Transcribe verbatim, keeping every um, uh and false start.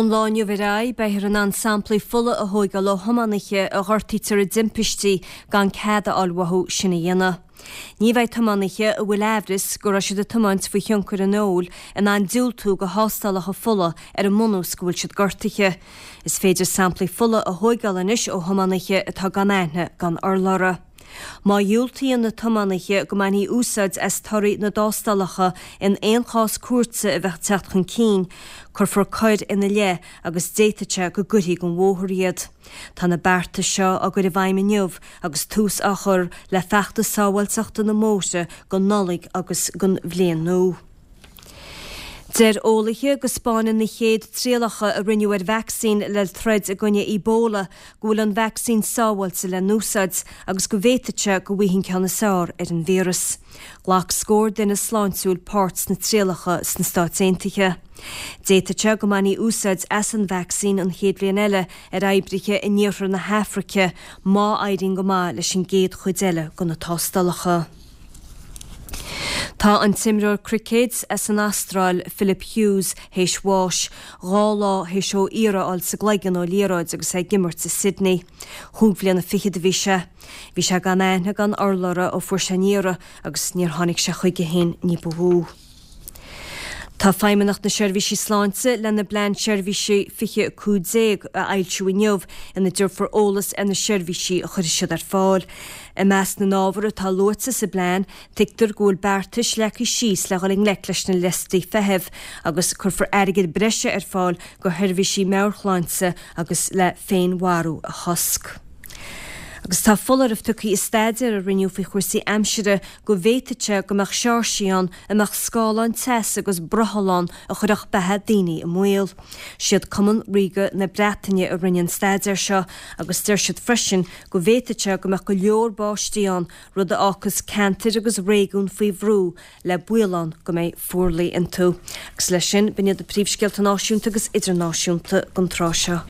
Ón lá inniu ar aghaidh, beifear in ann samplaí fola a thógáil ó thiománaithe a ghortaítear i dtimpistí gan cead a fháil uathu sin a dhéanamh. Ní bheidh tiománaithe a bhfuil aimhreas go raibh siad ag tiomáint faoi thionchar an óil in ann diúltú go thástálacha fola ar an mbunús go bhfuil siad gortaithe. Is féidir samplaí fola a thógáil anois ó thiománaithe atá gan aithne gan urlabhra. Má dhiúltaíonn na tiománaithe go mbainfí úsáid as torthaí na dtástálacha in aon chás cúirte a bheadh ag teacht chun cinn, cuirfear coir ina leith agus d'fhéadfadh sé go gcuirfí den bhóthar iad. Tá na bearta seo á gcur i bhfeidhm inniu agus tús á chur le feachtas sábháilteachta na mbóithre don Nollaig agus don Bhliain Nua. Deir eolaithe go spáineann na chéad trialacha a rinneadh ar vacsaín le troid i gcoinne Ebola go bhfuil an vacsaín sábháilte le n-úsáid agus go bhféadfadh sé go bhfaighidh an ceann is fearr ar an víreas. Ghlac scór duine sláintiúil páirt sna trialacha sna Stáit Aontaithe. D'fhéadfadh sé go mbainfí úsáid as an vacsaín an chéad bhliain eile ar oibrithe in iarthar na hAfraice má éiríonn go maith leis an gcéad chuid eile de na tástálacha. Tá an t-imreoir cruicéid as an Astráil, Philip Hughes, théis bháis, dhá lá théis dó iarann a fháil sa gcloigeann ó liathróid agus é ag imirt i Sydney. Chúig bhliana fichead a bhí sé. Bhí sé gan aithne gan urlabhra ó fuair sé an iarann agus níor tháinig sé chuige féin ní ba mhó. Tá Feidhmeannacht na Seirbhísí Sláinte lena bPlean Seirbhísí fiche a cúig déag a fhoilsiú inniu ina dtabharfar eolas ar na seirbhísí a chuirfidh siad ar fáil. I measc na n-ábhar atá luaite sa bplean, tuigtear go bhfuil beartais leagtha síos le dhul i ngleic leis na liostaí feithimh agus cuirfear airgead breise ar fáil go sheirbhísí meabhairshláinte agus le féinmharú a chosc. Agus tá foláireamh tugtha i staidéar a rinneadh faoi chúrsaí aimsire go bhféadfadh sé go mbeadh seáirsí ann a mbeadh scáthláin teasa agus brothall ann a chuirfeadh beatha daoine i mbaol. Siad Cumann Ríoga na Breataine a rinne an staidéar seo agus deir siad freisin go bhféadfadh sé go mbeadh go leor báistí ann, rud a fhágfas ceantair agus réigiúin faoi bhrú le baol ann go mbeidh fuarlaigh iontu. Agus leis sin, b'in iad na príomhscéalta náisiúnta agus idirnáisiúnta don tráth seo.